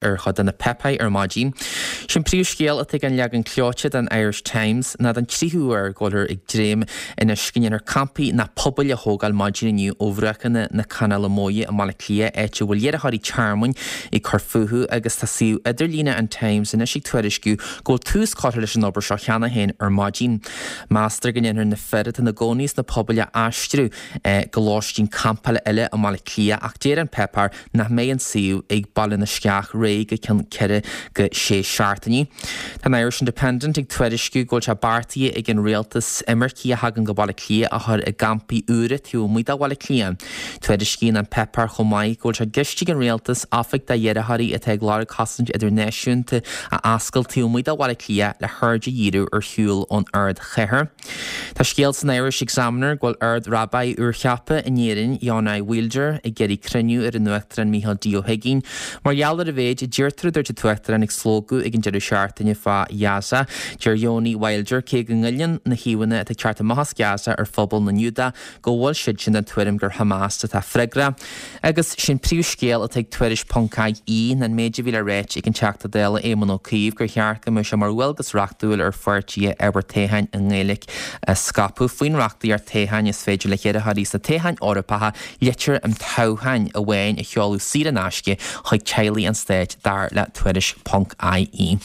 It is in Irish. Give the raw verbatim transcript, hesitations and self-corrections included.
ar chuid de na páipéir ar maidin. Sin príomhscéal atá ag an leagan clóite den Irish Times ná den tríú huair go bhfuiltear ag dréim anois go ndéanfar campaí ná pubaill a thógáil maidin inniu ó bhruachanna na Canála Móire i mBaile Átha Cliath áit a bhfuil iarrthóirí tearmainn ag cur fúthu agus tá suíomh idirlíne an Times anois ag tuairisciú go bhfuil tús curtha leis an obair seo cheana féin ar maidin. Meastar go ndéanfar na fir atá ina gcónaí sna pubaill a aistriú eh, go lóistín campála eile i mBaile Átha Cliath ach deir an páipéar nach mbeidh an suíomh ag Baile na Sceach réidh go ceann ceithre go sé seachtainí. Tá an Irish Independent ag tuairisciú go bhfuil sé beartaithe ag an rialtas imircigh a thagann go Baile Átha Cliath a chur i gcampaí úra taobh amuigh de Bhaile Átha Cliath. Tuairiscíonn an páipéar chomh maith go bhfuil sé i gceist ag an rialtas oifig d'iarrthóirí atá ag lorg cosaint idirnáisiúnta a oscailt taobh amuigh de Bhaile Átha Cliath le haird a dhíriú ar shiúl ón ardchathair. Tá scéal san Irish Examiner go bhfuil Ard-Rabbi úrcheaptha in Éirinn Yonai Wilder ag iarraidh cruinniú ar an Uachtarán Micheál D. Ó hUiginn. Mar gheall ar a mhéid a deirtear a dúirt an tUachtarán ag slógadh ag an deireadh seachtaine fá Ghaza. Deir Yoni Wilder cé go ngoilleann na híomhánna atá ag teacht amach as Gaza ar phobal na nGiúdach go bhfuil siad sin den tuairim gur Hamas atá freagrach. Agus sin príomhscéal atá ag tuairisc ponc ie an méid a bhí le ráit ag an Teachta Dála Éamon Ó Cuív gur cheart go mbeadh sé mar dhualgas reachtúil ar pháirtithe ábhar toghcháin i nGaeilge a scaipeadh faoin reachtaíocht toghcháin is féidir le hiarrthóirí sna toghcháin Eorpacha litir an toghcháin amháin a sheoladh saor in aisce chuig teaghlaigh an stáit dar le tuairisc ponc ie.